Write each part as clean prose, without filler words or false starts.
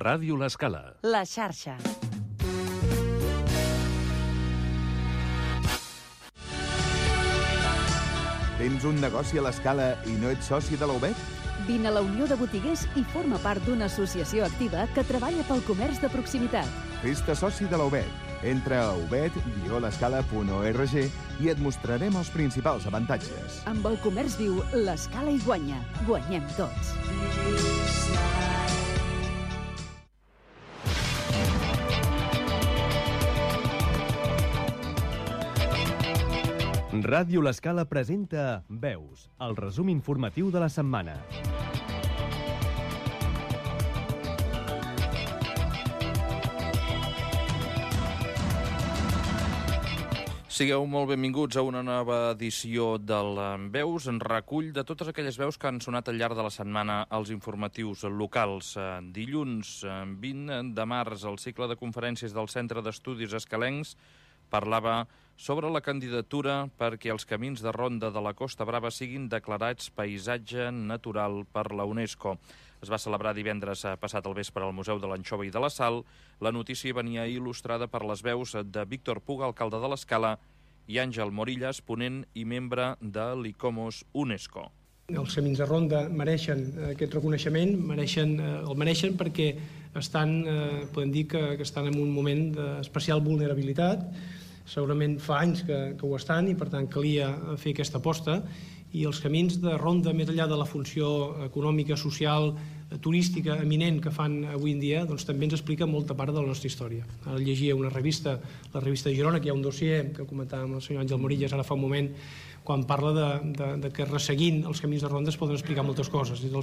Ràdio L'Escala. La xarxa. Tens un negoci a l'Escala i no ets soci de la UBET? Vine a la Unió de Botiguers i forma part d'una associació activa que treballa pel comerç de proximitat. Fes-te soci de la UBET. Entra a ubet-l'escala.org i et mostrarem els principals avantatges. Amb el comerç viu, l'Escala hi guanya. Guanyem tots. Ràdio L'Escala presenta Veus, el resum informatiu de la setmana. Sigueu molt benvinguts a una nova edició del Veus, en recull de totes aquelles veus que han sonat al llarg de la setmana als informatius locals. Dilluns 20 de març, el cicle de conferències del Centre d'Estudis Escalencs parlava sobre la candidatura perquè els camins de ronda de la Costa Brava siguin declarats paisatge natural per la UNESCO. Es va celebrar divendres passat al vespre al Museu de l'Anxova i de la Sal. La notícia venia il·lustrada per les veus de Víctor Puga, alcalde de l'Escala, i Àngel Morillas, ponent i membre de l'ICOMOS UNESCO. Els camins de ronda mereixen aquest reconeixement, el mereixen perquè podem dir que estan en un moment d'especial vulnerabilitat. Segurament fa anys que ho estan i per tant calia fer aquesta aposta, i els camins de ronda, més enllà de la funció econòmica, social, turística eminent que fan avui en dia, doncs també ens explica molta part de la nostra història. Ara llegia una revista, la revista de Girona, que hi ha un dossier que comentàvem el senyor Àngel Morillas ara fa un moment, quan parla de que resseguint els camins de ronda es poden explicar moltes coses. Des del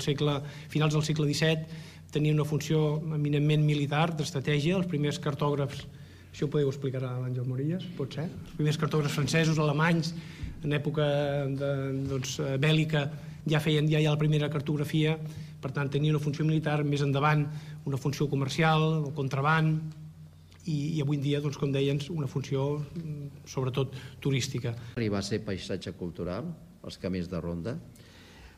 finals del segle XVII tenia una funció eminentment militar, d'estratègia. Els primers cartògrafs, això ho podeu explicar a l'Àngel Morillas, pot ser? Els primers cartògrafs francesos, alemanys, en època bèl·lica, ja feien la primera cartografia, per tant tenia una funció militar, més endavant una funció comercial, el contraban, i avui en dia, com deien, una funció sobretot turística. Arribar a ser paisatge cultural, els camins de ronda,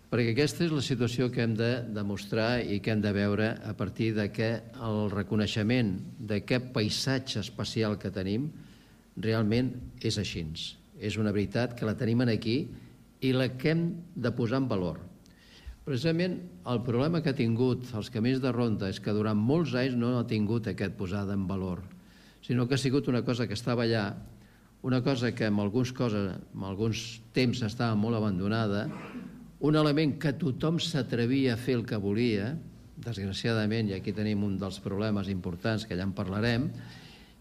perquè aquesta és la situació que hem de demostrar i que hem de veure a partir de que el reconeixement d'aquest paisatge especial que tenim realment és així. És una veritat que la tenim aquí i la que hem de posar en valor. Precisament el problema que ha tingut els camins de ronda és que durant molts anys no ha tingut aquest posada en valor, sinó que ha sigut una cosa que estava allà, una cosa que en alguns temps estava molt abandonada, un element que tothom s'atrevia a fer el que volia, desgraciadament, i aquí tenim un dels problemes importants que ja en parlarem,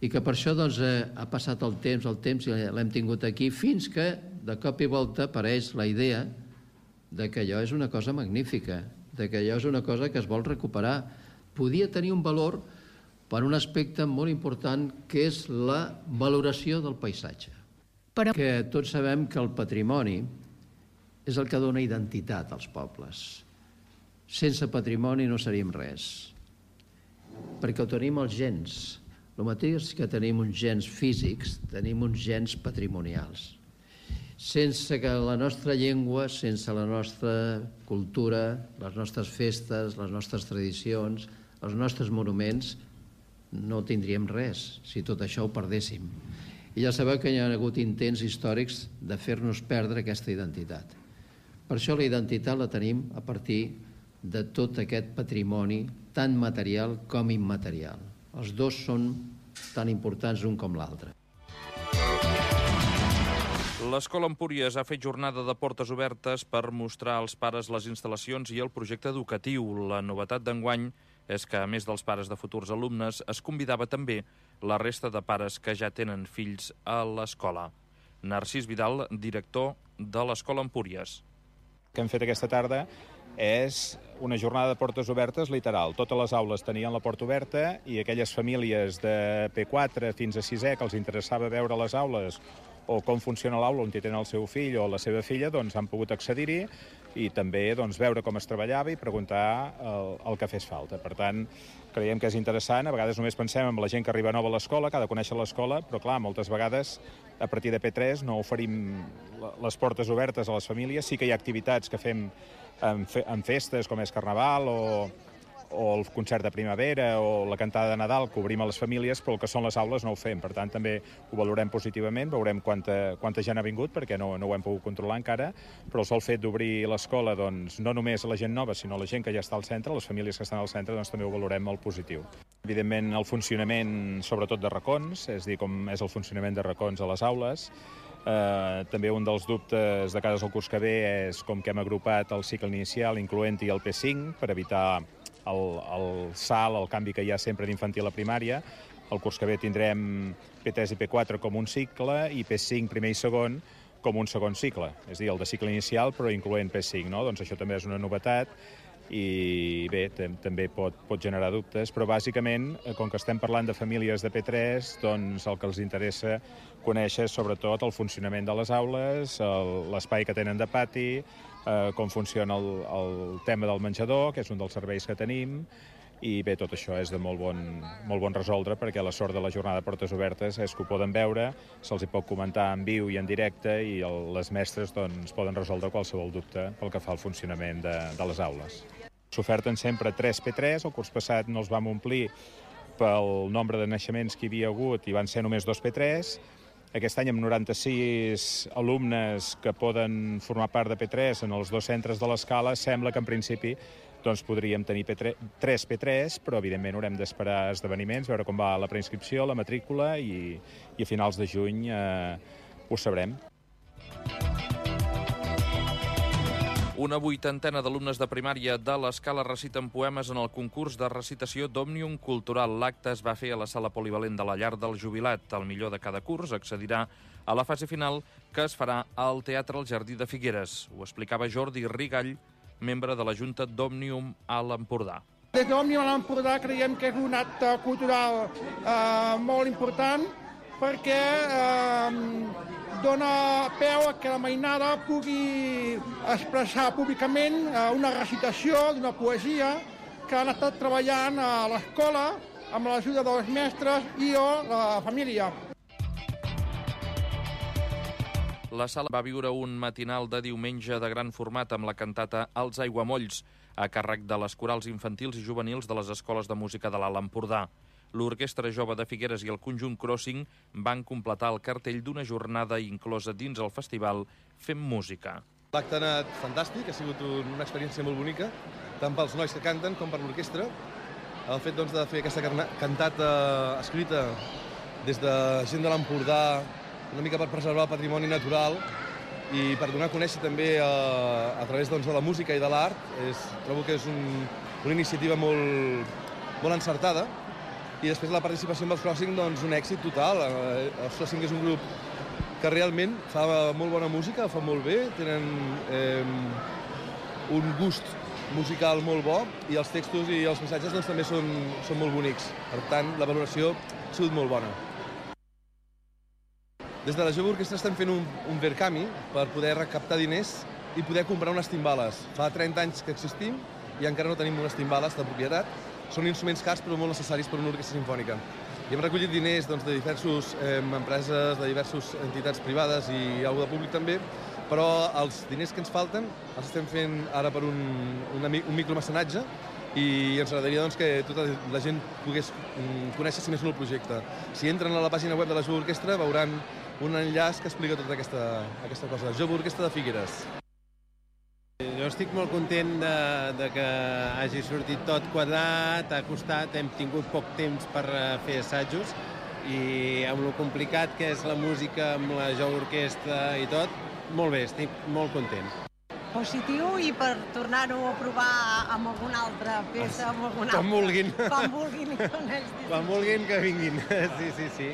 i que per això ha passat el temps i l'hem tingut aquí, fins que de cop i volta apareix la idea de que allò és una cosa magnífica, de que allò és una cosa que es vol recuperar. Podia tenir un valor per un aspecte molt important, que és la valoració del paisatge. Que tots sabem que el patrimoni és el que dona identitat als pobles. Sense patrimoni no seríem res, perquè ho tenim els gens. El mateix que tenim uns gens físics, tenim uns gens patrimonials. Sense que la nostra llengua, sense la nostra cultura, les nostres festes, les nostres tradicions, els nostres monuments, no tindríem res si tot això ho perdéssim. I ja sabeu que hi ha hagut intents històrics de fer-nos perdre aquesta identitat. Per això la identitat la tenim a partir de tot aquest patrimoni, tant material com immaterial. Els dos són tan importants un com l'altre. L'Escola Empúries ha fet jornada de portes obertes per mostrar als pares les instal·lacions i el projecte educatiu. La novetat d'enguany és que, a més dels pares de futurs alumnes, es convidava també la resta de pares que ja tenen fills a l'escola. Narcís Vidal, director de l'Escola Empúries. El que hem fet aquesta tarda és una jornada de portes obertes literal. Totes les aules tenien la porta oberta i aquelles famílies de P4 fins a 6è que els interessava veure les aules o com funciona l'aula on hi tenen el seu fill o la seva filla, doncs han pogut accedir-hi i també veure com es treballava i preguntar el que fes falta. Per tant, creiem que és interessant. A vegades només pensem en la gent que arriba nova a l'escola, que ha de conèixer l'escola, però clar, moltes vegades a partir de P3 no oferim les portes obertes a les famílies. Sí que hi ha activitats que fem en festes com és Carnaval o el concert de primavera o la cantada de Nadal que obrim a les famílies, però el que són les aules no ho fem. Per tant, també ho valorem positivament, veurem quanta gent ha vingut, perquè no ho hem pogut controlar encara, però el sol fet d'obrir l'escola, doncs, no només a la gent nova, sinó a la gent que ja està al centre, les famílies que estan al centre, doncs també ho valorem molt positiu. Evidentment, el funcionament, sobretot de racons, és a dir, com és el funcionament de racons a les aules. També un dels dubtes de cara al curs que ve és com que hem agrupat el cicle inicial, incloent-hi el P5, per evitar el salt, el canvi que hi ha sempre d'infantil a primària. El curs que ve tindrem P3 i P4 com un cicle i P5, primer i segon, com un segon cicle. És a dir, el de cicle inicial, però incloent P5, no? Doncs això també és una novetat i bé, també pot generar dubtes, però bàsicament, com que estem parlant de famílies de P3, doncs el que els interessa conèixer és sobretot el funcionament de les aules, l'espai que tenen de pati, com funciona el tema del menjador, que és un dels serveis que tenim, i bé, tot això és de molt bon resoldre, perquè la sort de la jornada de portes obertes és que ho poden veure, se'ls hi pot comentar en viu i en directe, i les mestres doncs, poden resoldre qualsevol dubte pel que fa al funcionament de les aules. S'oferten sempre 3 P3, el curs passat no els vam omplir pel nombre de naixements que hi havia hagut i van ser només 2 P3. Aquest any amb 96 alumnes que poden formar part de P3 en els 2 centres de l'escala, sembla que en principi doncs podríem tenir 3 P3, però evidentment haurem d'esperar esdeveniments, veure com va la preinscripció, la matrícula i a finals de juny ho sabrem. Una vuitantena d'alumnes de primària de l'Escala reciten poemes en el concurs de recitació d'Òmnium Cultural. L'acte es va fer a la sala polivalent de la Llar del Jubilat. El millor de cada curs accedirà a la fase final, que es farà al Teatre El Jardí de Figueres. Ho explicava Jordi Rigall, membre de la Junta d'Òmnium a l'Empordà. Des d'Òmnium a l'Empordà creiem que és un acte cultural molt important perquè dona peu a que la mainada pugui expressar públicament una recitació d'una poesia que han estat treballant a l'escola amb l'ajuda dels mestres i o la família. La sala va viure un matinal de diumenge de gran format amb la cantata Els Aiguamolls, a càrrec de les corals infantils i juvenils de les escoles de música de l'Alt Empordà. L'Orquestra Jove de Figueres i el conjunt Crossing van completar el cartell d'una jornada inclosa dins el festival Fem Música. L'acte ha anat fantàstic, ha sigut una experiència molt bonica, tant pels nois que canten com per l'orquestra. El fet de fer aquesta cantata escrita des de gent de l'Empordà, una mica per preservar el patrimoni natural i per donar a conèixer també a través de la música i de l'art, trobo que és una iniciativa molt encertada. I després la participació amb els Crossing, doncs un èxit total. Els Crossing és un grup que realment fa molt bona música, fa molt bé, tenen un gust musical molt bo i els textos i els missatges doncs, també són molt bonics. Per tant, la valoració ha sigut molt bona. Des de la Jove Orquestra estem fent un Verkami per poder recaptar diners i poder comprar unes timbales. Fa 30 anys que existim i encara no tenim unes timbales de propietat. Són instruments cars però molt necessaris per una orquestra simfònica. I hem recollit diners de diverses empreses, de diverses entitats privades i algú de públic també, però els diners que ens falten els estem fent ara per un micromecenatge i ens agradaria que tota la gent pogués conèixer si més no el projecte. Si entren a la pàgina web de la Jove Orquestra veuran un enllaç que explica tota aquesta cosa. Jove Orquestra de Figueres. Jo estic molt content de que hagi sortit tot quadrat, ha costat, hem tingut poc temps per fer assajos i amb lo complicat que és la música, amb la Jove Orquestra i tot, molt bé, estic molt content. Positiu i per tornar-ho a provar amb alguna altra peça, amb alguna altra. Com vulguin. Com vulguin. Quan vulguin que vinguin, sí.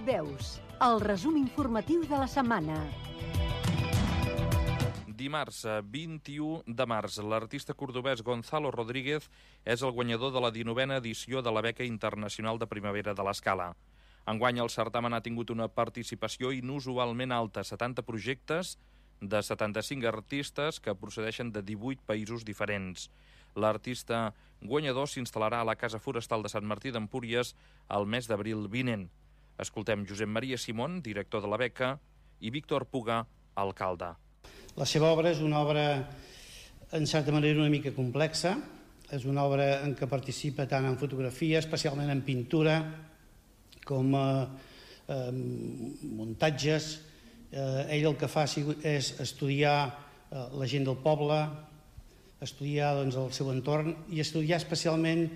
Veus, el resum informatiu de la setmana. Dimarts, 21 de març, l'artista cordobès Gonzalo Rodríguez és el guanyador de la 19a edició de la Beca Internacional de Primavera de l'Escala. Enguany el certamen ha tingut una participació inusualment alta, 70 projectes de 75 artistes que procedeixen de 18 països diferents. L'artista guanyador s'instal·larà a la Casa Forestal de Sant Martí d'Empúries el mes d'abril vinent. Escoltem Josep Maria Simón, director de la beca, i Víctor Puga, alcalde. La seva obra és una obra, en certa manera, una mica complexa. És una obra en què participa tant en fotografia, especialment en pintura, com muntatges. Ell el que fa és estudiar la gent del poble, estudiar el seu entorn i estudiar especialment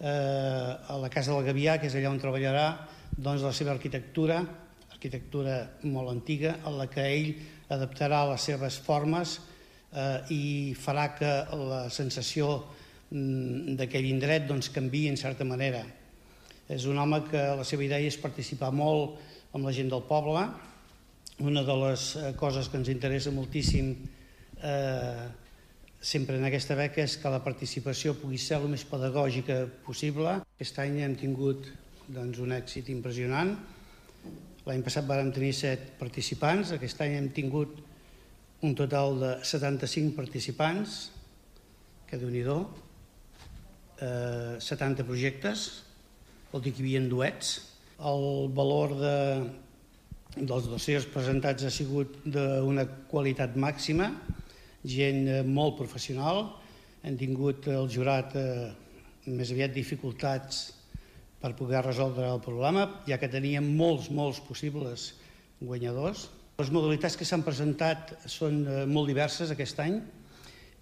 a la Casa del Gavià, que és allà on treballarà, la seva arquitectura molt antiga, en la que ell adaptarà les seves formes i farà que la sensació d'aquell indret canviï en certa manera. És un home que la seva idea és participar molt amb la gent del poble. Una de les coses que ens interessa moltíssim sempre en aquesta beca és que la participació pugui ser el més pedagògica possible. Aquest any hem tingut un èxit impressionant. L'any passat vàrem tenir 7 participants, aquest any hem tingut un total de 75 participants, que Déu-n'hi-do, 70 projectes, vol dir que hi havia duets. El valor dels dossiers presentats ha sigut d'una qualitat màxima, gent molt professional. Hem tingut el jurat més aviat dificultats per poder resoldre el problema, ja que teníem molts possibles guanyadors. Les modalitats que s'han presentat són molt diverses aquest any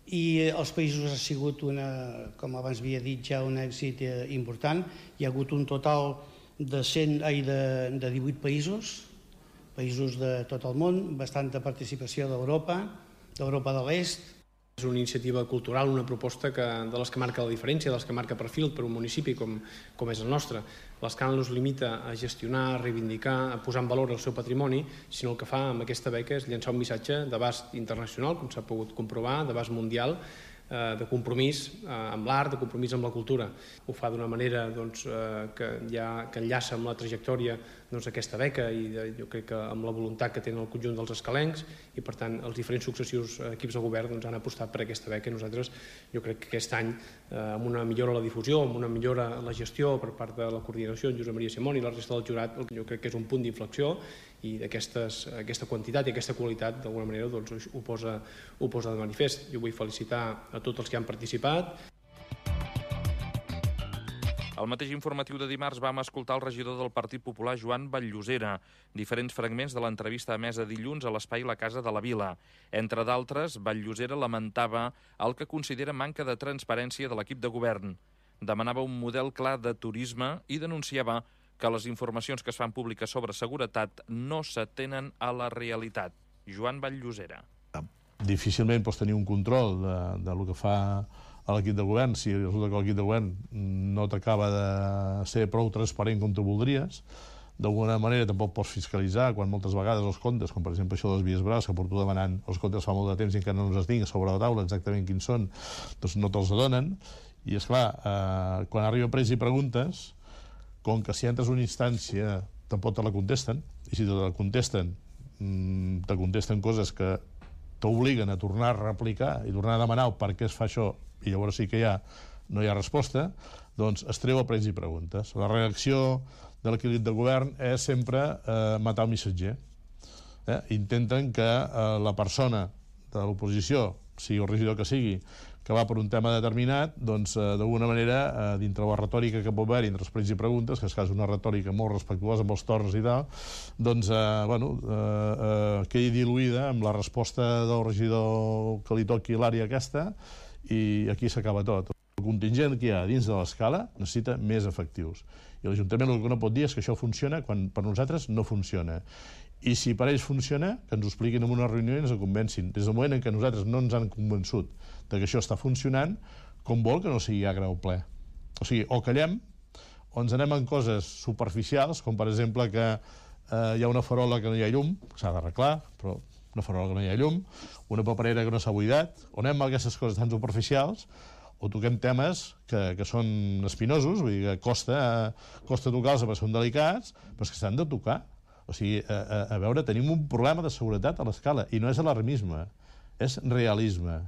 i els països ha sigut, com abans havia dit, ja un èxit important. Hi ha hagut un total de 18 països de tot el món, bastanta participació d'Europa de l'Est. És una iniciativa cultural, una proposta de les que marca la diferència, de les que marca perfil per un municipi com és el nostre. L'Escala no es limita a gestionar, a reivindicar, a posar en valor el seu patrimoni, sinó el que fa amb aquesta beca és llançar un missatge d'abast internacional, com s'ha pogut comprovar, d'abast mundial, de compromís amb l'art, de compromís amb la cultura. Ho fa d'una manera que enllaça amb la trajectòria aquesta beca i jo crec que amb la voluntat que tenen el conjunt dels escalencs i per tant els diferents successius equips de govern han apostat per aquesta beca i nosaltres jo crec que aquest any amb una millora a la difusió, amb una millora a la gestió per part de la coordinació en Josep Maria Simón i la resta del jurat, jo crec que és un punt d'inflexió i aquesta quantitat i aquesta qualitat d'alguna manera ho posa de manifest. Jo vull felicitar a tots els que han participat. Al mateix informatiu de dimarts vam escoltar el regidor del Partit Popular, Joan Batllosera. Diferents fragments de l'entrevista emesa dilluns a l'espai La Casa de la Vila. Entre d'altres, Batllosera lamentava el que considera manca de transparència de l'equip de govern. Demanava un model clar de turisme i denunciava que les informacions que es fan públiques sobre seguretat no s'atenen a la realitat. Joan Batllosera. Difícilment pots tenir un control del que fa l'equip de govern si resulta que l'equip de govern no t'acaba de ser prou transparent com tu voldries. D'alguna manera tampoc pots fiscalitzar quan moltes vegades els comptes, com per exemple això de les vies braves, que porto demanant els comptes fa molt de temps i encara no els tinc sobre la taula exactament quins són, doncs no te'ls donen. I esclar, quan arriba presa i preguntes, com que si entres a una instància tampoc te la contesten, i si te la contesten, te contesten coses que t'obliguen a tornar a replicar i tornar a demanar per què es fa això, i llavors sí que no hi ha resposta, doncs es treu a presa i preguntes. La reacció de l'equip de govern és sempre matar el missatger. Intenten que la persona de l'oposició, sigui el regidor que sigui, que va per un tema determinat, doncs, d'alguna manera, dintre la retòrica que pot haver-hi entre els pregs i preguntes, que és una retòrica molt respectuosa amb els torns i tal, doncs, quedi diluïda amb la resposta del regidor que li toqui l'àrea aquesta, i aquí s'acaba tot. El contingent que hi ha dins de l'escala necessita més efectius. I l'Ajuntament el que no pot dir és que això funciona quan per nosaltres no funciona. I si per ells funciona, que ens ho expliquin en una reunió i ens ho convencin. Des del moment en què nosaltres no ens han convençut que això està funcionant, com vol que no sigui a grau ple. O sigui, o callem, o ens anem en coses superficials, com per exemple que hi ha una farola que no hi ha llum, s'ha d'arreglar, però una farola que no hi ha llum, una paperera que no s'ha buidat, o anem a aquestes coses tan superficials, o toquem temes que són espinosos, vull dir que costa tocar-los perquè són delicats, però és que s'han de tocar. O sigui, a veure, tenim un problema de seguretat a l'escala, i no és alarmisme, és realisme.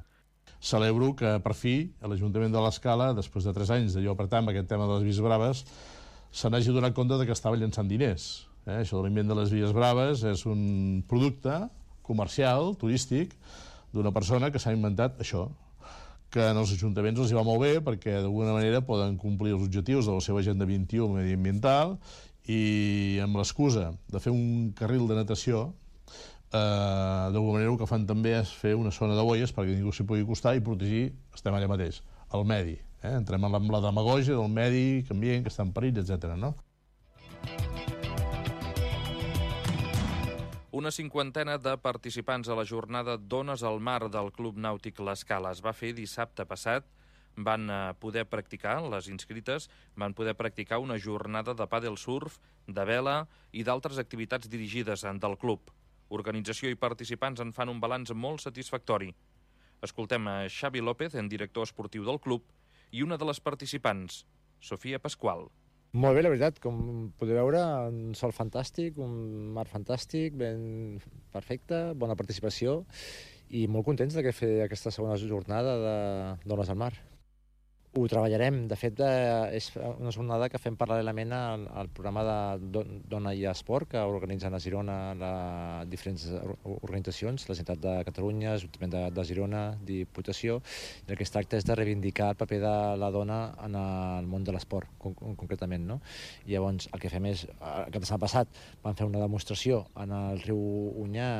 Celebro que, per fi, a l'Ajuntament de l'Escala, després de 3 anys d'allò apretar amb aquest tema de les vies braves, se n'hagi donat compte que estava llançant diners. Això de l'invent de les vies braves és un producte comercial, turístic, d'una persona que s'ha inventat això, que en els ajuntaments els hi va molt bé perquè d'alguna manera poden complir els objectius de la seva agenda 21 mediambiental i amb l'excusa de fer un carril de natació d'alguna manera el que fan també és fer una zona de boies perquè ningú s'hi pugui acostar i protegir, estem allà mateix, el medi. Entrem amb la demagògia del medi ambient que està en perill, etc. no? Una cinquantena de participants a la jornada Dones al Mar del Club Nàutic L'Escala es va fer dissabte passat. Van poder practicar, les inscrites, van poder practicar una jornada de pàdel surf, de vela i d'altres activitats dirigides del club. Organització i participants en fan un balanç molt satisfactori. Escoltem a Xavi López, director esportiu del club, i una de les participants, Sofia Pasqual. Molt bé, la veritat, com podeu veure, un sol fantàstic, un mar fantàstic, ben perfecte, bona participació i molt contents de fer aquesta segona jornada de Dones al Mar. Ho treballarem, de fet és una jornada que fem paral·lelament al programa de Dona i Esport que organitzen a Girona diferents organitzacions, la Generalitat de Catalunya, l'Ajuntament de Girona, Diputació, i el que es tracta és de reivindicar el paper de la dona en el món de l'esport, concretament. No? I llavors el que fem és, el cap de setmana passat vam fer una demostració en el riu Onyà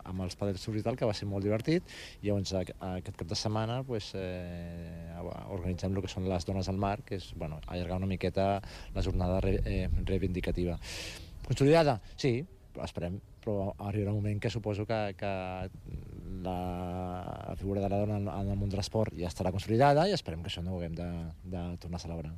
amb els pàdels surf i tal, que va ser molt divertit, i llavors aquest cap de setmana organitzem el que són les Dones al Mar, que és allargar una miqueta la jornada reivindicativa. Consolidada? Sí, esperem, però arribarà un moment que suposo que la figura de la dona en el món de l'esport ja estarà consolidada i esperem que això no ho haguem de tornar a celebrar.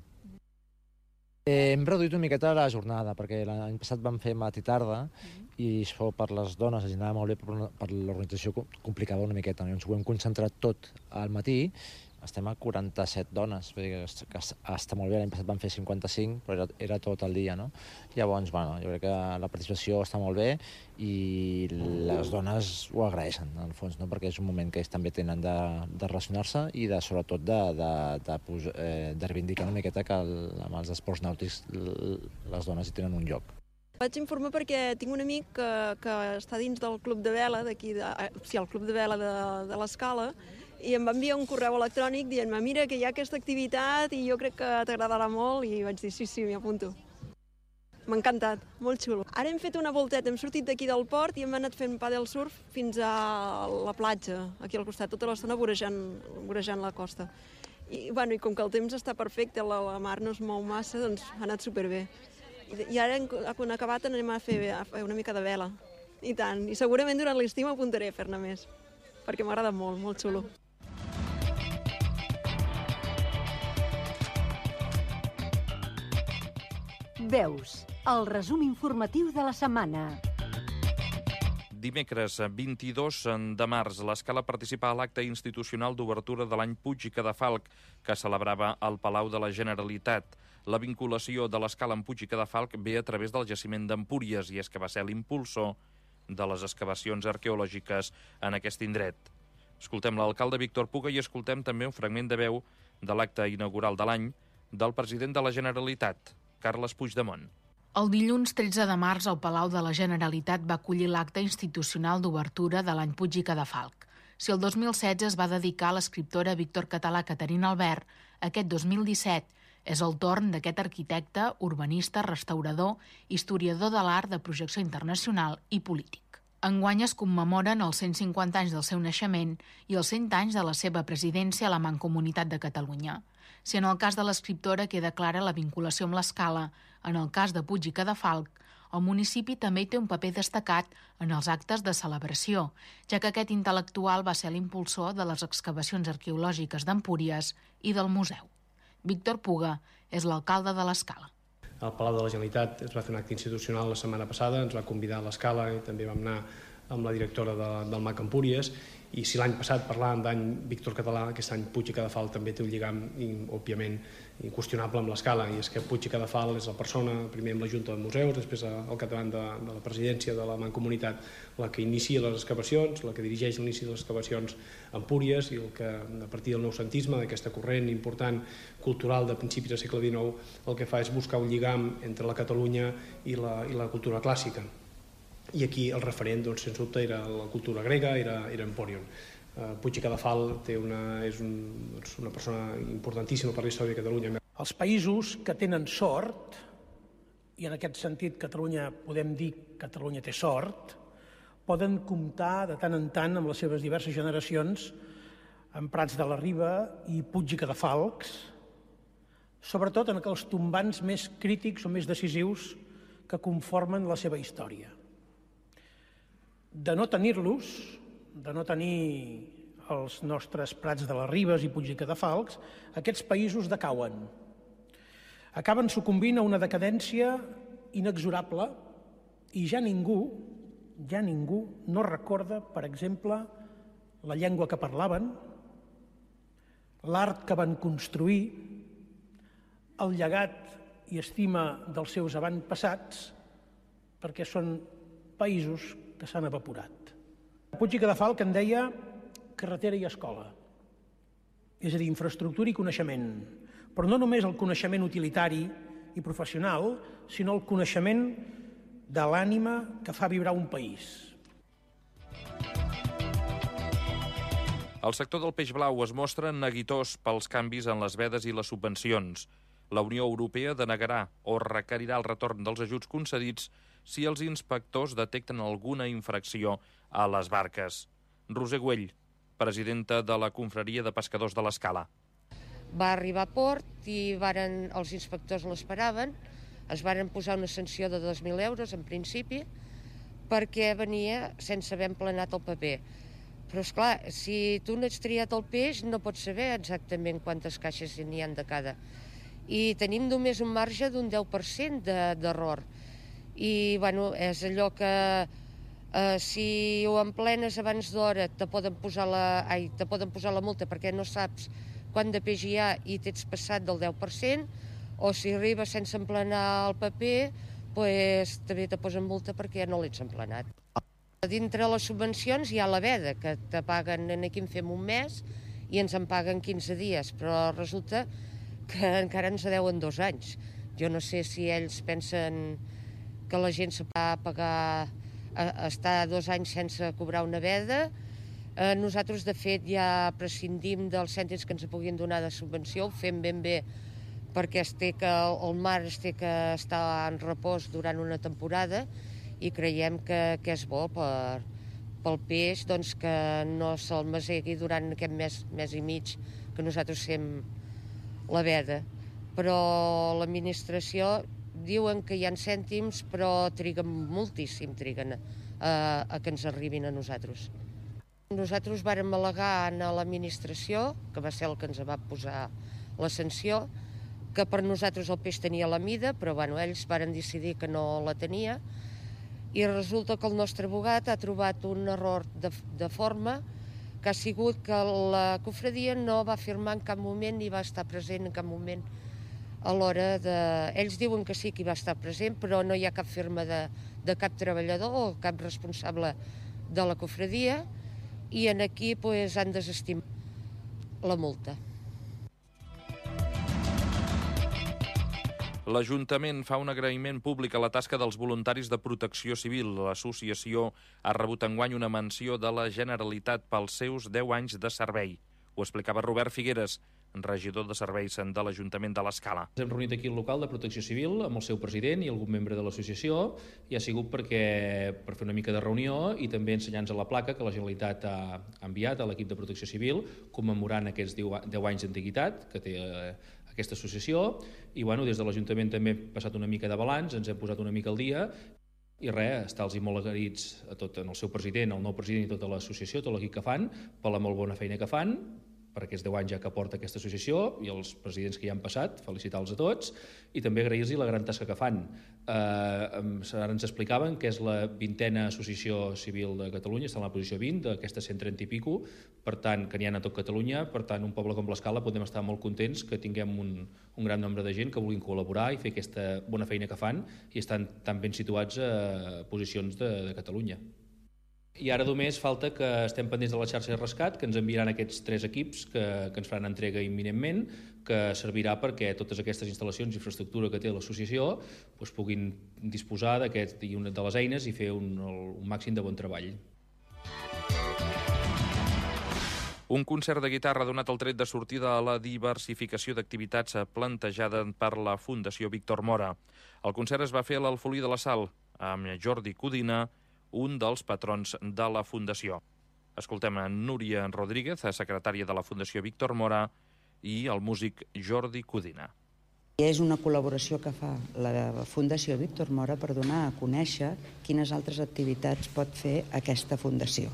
Hem reduït una miqueta la jornada, perquè l'any passat vam fer matí i tarda i això per les dones es anava molt bé, però per l'organització complicava una miqueta. Llavors ho hem concentrat tot al matí. Estem a 47 dones, vull dir que està molt bé. L'any passat vam fer 55, però era tot el dia, no? Llavors, jo crec que la participació està molt bé i les dones ho agraeixen, en el fons, no? Perquè és un moment que ells també tenen de relacionar-se i sobretot de reivindicar una miqueta que amb els esports nàutics les dones hi tenen un lloc. Vaig informar perquè tinc un amic que està dins del club de vela d'aquí, el club de vela de l'Escala, i em va enviar un correu electrònic dient-me mira que hi ha aquesta activitat i jo crec que t'agradarà molt, i vaig dir sí, m'hi apunto. M'ha encantat, molt xulo. Ara hem fet una volteta, hem sortit d'aquí del port i hem anat fent pàdel surf fins a la platja, aquí al costat, tota l'estona vorejant la costa. I com que el temps està perfecte, la mar no es mou massa, doncs ha anat superbé. I ara, quan acabat, anem a fer una mica de vela. I tant, i segurament durant l'estiu m'apuntaré a fer-ne més, perquè m'agrada molt, molt xulo. Veus, el resum informatiu de la setmana. Dimecres 22 de març, l'Escala participa a l'acte institucional d'obertura de l'any Puig i Cadafalch, que celebrava al Palau de la Generalitat. La vinculació de l'Escala amb Puig i Cadafalch ve a través del jaciment d'Empúries, i és que va ser l'impulsor de les excavacions arqueològiques en aquest indret. Escoltem l'alcalde Víctor Puga i escoltem també un fragment de veu de l'acte inaugural de l'any del president de la Generalitat, Carles Puigdemont. El dilluns 13 de març, el Palau de la Generalitat va acollir l'acte institucional d'obertura de l'any Puig i Cadafalch. Si el 2016 es va dedicar a l'escriptora Víctor Català Caterina Albert, aquest 2017 és el torn d'aquest arquitecte, urbanista, restaurador, historiador de l'art de projecció internacional i polític. Enguany es commemoren els 150 anys del seu naixement i els 100 anys de la seva presidència a la Mancomunitat de Catalunya. Si en el cas de l'escriptora queda clara la vinculació amb l'Escala, en el cas de Puig i Cadafalch, el municipi també hi té un paper destacat en els actes de celebració, ja que aquest intel·lectual va ser l'impulsor de les excavacions arqueològiques d'Empúries i del museu. Víctor Puga és l'alcalde de l'Escala. Al Palau de la Generalitat es va fer un acte institucional la setmana passada, ens va convidar a l'Escala i també vam anar amb la directora del MAC Empúries, i si l'any passat parlàvem d'any Víctor Català, aquest any Puig i Cadafalch també té un lligam, òbviament, inqüestionable amb l'Escala, i és que Puig i Cadafalch és la persona, primer amb la Junta de Museus, després al capdavant de la presidència de la Mancomunitat, la que inicia les excavacions, la que dirigeix l'inici de les excavacions a Empúries, i el que, a partir del noucentisme, d'aquesta corrent important cultural de principis del segle XIX, el que fa és buscar un lligam entre la Catalunya i la cultura clàssica. i aquí el referent, sens dubte, era la cultura grega, era Empòrion. Puig i Cadafalch és una persona importantíssima per la història de Catalunya. Els països que tenen sort, i en aquest sentit Catalunya podem dir que Catalunya té sort, poden comptar de tant en tant amb les seves diverses generacions en Prats de la Riba i Puig i Cadafalch, sobretot en aquells tombants més crítics o més decisius que conformen la seva història. De no tenir-los, de no tenir els nostres Prats de les Ribes i Puig i Cadafalch, aquests països decauen. Acaben sucumbint a una decadència inexorable i ja ningú no recorda, per exemple, la llengua que parlaven, l'art que van construir, el llegat i estima dels seus avantpassats, perquè són països que s'han evaporat. Puig i Cadafalch en deia carretera i escola, és a dir, infraestructura i coneixement, però no només el coneixement utilitari i professional, sinó el coneixement de l'ànima que fa vibrar un país. El sector del peix blau es mostra neguitós pels canvis en les vedes i les subvencions. La Unió Europea denegarà o requerirà el retorn dels ajuts concedits si els inspectors detecten alguna infracció a les barques. Roser Güell, presidenta de la Confraria de Pescadors de l'Escala. Va arribar a port i els inspectors l'esperaven. Es varen posar una sanció de 2.000 euros, en principi, perquè venia sense haver emplenat el paper. Però, esclar, si tu no ets triat el peix, no pots saber exactament quantes caixes n'hi ha de cada. I tenim només un marge d'un 10% d'error. I, bueno, és allò que si ho emplenes abans d'hora te poden posar la multa perquè no saps quant de peix hi ha i t'ets passat del 10%, o si arribes sense emplenar el paper, també te posen multa perquè ja no l'ets emplenat. Dintre les subvencions hi ha la veda, que te paguen, aquí en fem un mes, i ens en paguen 15 dies, però resulta que encara ens deuen 2 anys. Jo no sé si ells pensen que la gent se va pagar, estar 2 anys sense cobrar una veda. Nosaltres, de fet, ja prescindim dels cèntims que ens puguin donar de subvenció, ho fem ben bé perquè el mar es té que estar en repòs durant una temporada i creiem que és bo pel peix que no se'l masegui durant aquest mes i mig que nosaltres fem la veda. Però l'administració diuen que hi ha cèntims, però triguen moltíssim a que ens arribin a nosaltres. Nosaltres vàrem al·legar a l'administració, que va ser el que ens va posar la sanció, que per nosaltres el peix tenia la mida, però ells varen decidir que no la tenia, i resulta que el nostre abogat ha trobat un error de forma que ha sigut que la confraria no va firmar en cap moment ni va estar present en cap moment a l'hora de... Ells diuen que sí que hi va estar present, però no hi ha cap firma de cap treballador o cap responsable de la confraria, i aquí han desestimat la multa. L'Ajuntament fa un agraïment públic a la tasca dels voluntaris de Protecció Civil. L'associació ha rebut enguany una menció de la Generalitat pels seus 10 anys de servei. Ho explicava Robert Figueres, regidor de serveis de l'Ajuntament de l'Escala. Ens hem reunit aquí al local de Protecció Civil amb el seu president i algun membre de l'associació, i ha sigut per fer una mica de reunió i també ensenyar-nos la placa que la Generalitat ha enviat a l'equip de Protecció Civil commemorant aquests 10 anys d'antiguitat que té aquesta associació, i des de l'Ajuntament també hem passat una mica de balanç, ens hem posat una mica al dia, i estar-los molt agraïts a tot, el seu president, el nou president i tota l'associació, tot l'equip que fan, per la molt bona feina que fan, per aquests 10 anys ja que porta aquesta associació, i els presidents que hi han passat, felicitar-los a tots, i també agrair-los la gran tasca que fan. Ara ens explicaven que és la 20a associació civil de Catalunya, està en la posició 20 d'aquestes 130 i pico, per tant, que n'hi ha a tot Catalunya, per tant, un poble com l'Escala podem estar molt contents que tinguem un gran nombre de gent que vulguin col·laborar i fer aquesta bona feina que fan i estan tan ben situats a posicions de Catalunya. I ara només falta que estem pendents de la xarxa de rescat, que ens enviaran aquests 3 equips que ens faran entrega imminentment, que servirà perquè totes aquestes instal·lacions i infraestructura que té l'associació puguin disposar de les eines i fer un màxim de bon treball. Un concert de guitarra ha donat el tret de sortida a la diversificació d'activitats plantejada per la Fundació Víctor Mora. El concert es va fer a l'Alfolí de la Sal, amb Jordi Codina, un dels patrons de la Fundació. Escoltem a Núria Rodríguez, secretària de la Fundació Víctor Mora, i el músic Jordi Codina. És una col·laboració que fa la Fundació Víctor Mora per donar a conèixer quines altres activitats pot fer aquesta fundació.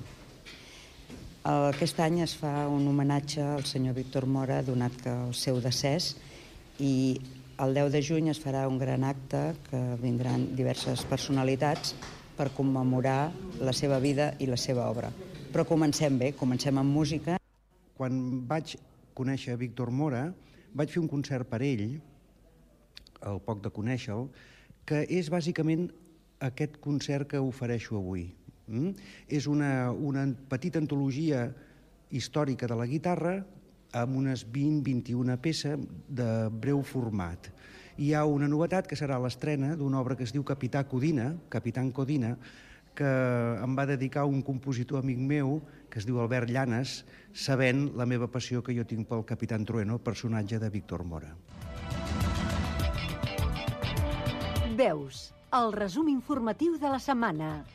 Aquest any es fa un homenatge al senyor Víctor Mora, donat que el seu decés, i el 10 de juny es farà un gran acte que vindran diverses personalitats per commemorar la seva vida i la seva obra. Però comencem bé, comencem amb música. Quan vaig conèixer Víctor Mora, vaig fer un concert per ell, al poc de conèixer-lo, que és bàsicament aquest concert que ofereixo avui. És una petita antologia històrica de la guitarra amb unes 20-21 peces de breu format. Hi ha una novetat que serà l'estrena d'una obra que es diu Capitán Codina, que em va dedicar un compositor amic meu que es diu Albert Llanes, sabent la meva passió que jo tinc pel Capitán Trueno, personatge de Víctor Mora. Veus, el resum informatiu de la setmana.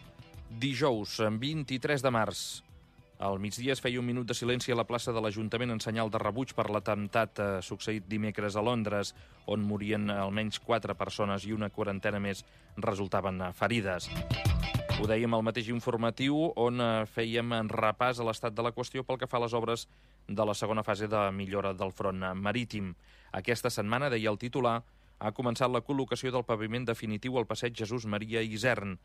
Dijous, 23 de març. Al migdia es feia un minut de silenci a la plaça de l'Ajuntament en senyal de rebuig per l'atemptat succeït dimecres a Londres, on morien almenys 4 persones i una quarantena més resultaven ferides. Ho dèiem al mateix informatiu, on fèiem repàs a l'estat de la qüestió pel que fa a les obres de la segona fase de millora del front marítim. Aquesta setmana, deia el titular, ha començat la col·locació del paviment definitiu al passeig Jesús Maria Isern.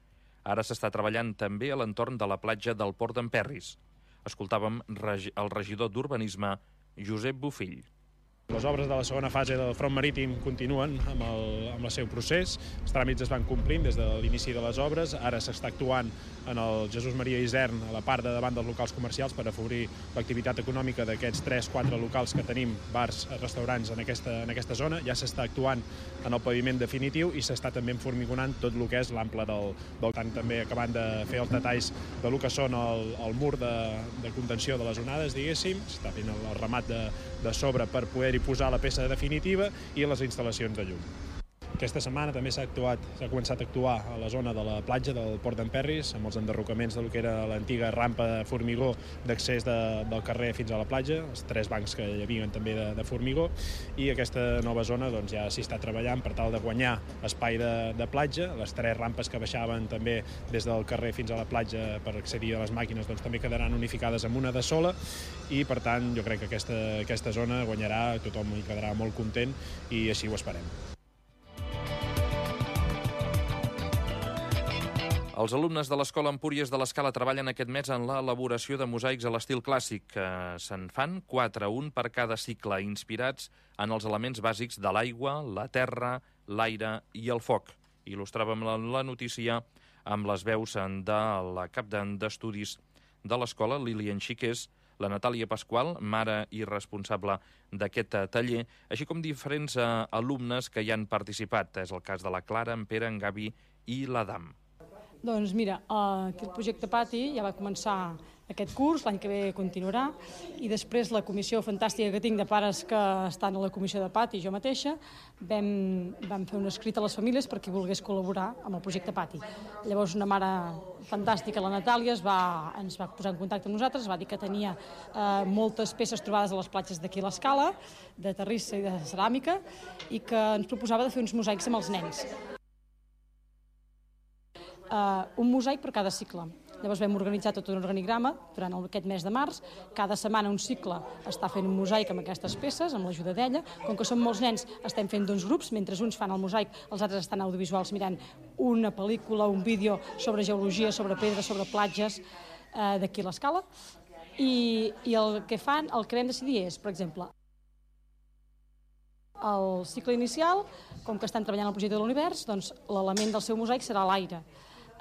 Ara s'està treballant també a l'entorn de la platja del Port d'Emperris. Escoltàvem el regidor d'Urbanisme, Josep Bofill. Les obres de la segona fase del front marítim continuen amb el seu procés. Els tràmits es van complint des de l'inici de les obres. Ara s'està actuant en el Jesús Maria Isern, a la part de davant dels locals comercials, per afavorir l'activitat econòmica d'aquests 3-4 locals que tenim, bars, restaurants, en aquesta zona. Ja s'està actuant en el paviment definitiu i s'està també enformigonant tot el que és l'ample del tant, també acabant de fer els detalls de lo que són el mur de contenció de les onades, diguéssim. S'està fent el remat de sobre per poder-hi posar la peça definitiva i les instal·lacions de llum. Aquesta setmana també s'ha començat a actuar a la zona de la platja del Port d'Emperris, amb els enderrocaments del que era l'antiga rampa de formigó d'accés del carrer fins a la platja, els 3 bancs que hi havia també de formigó, i aquesta nova zona ja s'hi està treballant per tal de guanyar espai de platja. Les 3 rampes que baixaven també des del carrer fins a la platja per accedir a les màquines també quedaran unificades amb una de sola, i per tant jo crec que aquesta zona guanyarà, tothom hi quedarà molt content i així ho esperem. Els alumnes de l'Escola Empúries de l'Escala treballen aquest mes en l'elaboració de mosaics a l'estil clàssic. Se'n fan 4, un per cada cicle, inspirats en els elements bàsics de l'aigua, la terra, l'aire i el foc. Il·lustràvem la notícia amb les veus de la cap d'estudis de l'escola, Lilian Xiqués, la Natàlia Pasqual, mare i responsable d'aquest taller, així com diferents alumnes que hi han participat. És el cas de la Clara, en Pere, en Gavi i l'Adam. Doncs mira, aquest projecte Pati ja va començar aquest curs, l'any que ve continuarà, i després la comissió fantàstica que tinc de pares que estan a la comissió de Pati i jo mateixa, vam fer un escrit a les famílies per qui volgués col·laborar amb el projecte Pati. Llavors una mare fantàstica, la Natàlia, ens va posar en contacte amb nosaltres, va dir que tenia moltes peces trobades a les platges d'aquí a l'Escala, de terrissa i de ceràmica, i que ens proposava de fer uns mosaics amb els nens. Un mosaic per cada cicle. Llavors vam organitzar tot un organigrama durant aquest mes de març. Cada setmana un cicle està fent un mosaic amb aquestes peces, amb l'ajuda d'ella. Com que som molts nens, estem fent 2 grups. Mentre uns fan el mosaic, els altres estan audiovisuals mirant una pel·lícula, un vídeo sobre geologia, sobre pedres, sobre platges d'aquí a l'Escala. I el que vam decidir és, per exemple, el cicle inicial, com que estan treballant el projecte de l'univers, doncs l'element del seu mosaic serà l'aire.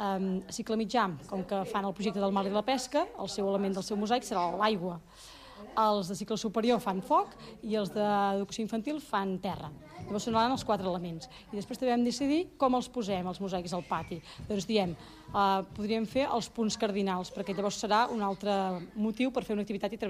A cicle mitjà, com que fan el projecte del mar i la pesca, el seu element del seu mosaic serà l'aigua. Els de cicle superior fan foc i els d'educació infantil fan terra. Llavors sonaran els 4 elements. I després també vam decidir com els posem, els mosaics, al pati. Doncs diem, podríem fer els punts cardinals, perquè llavors serà un altre motiu per fer una activitat i treballar.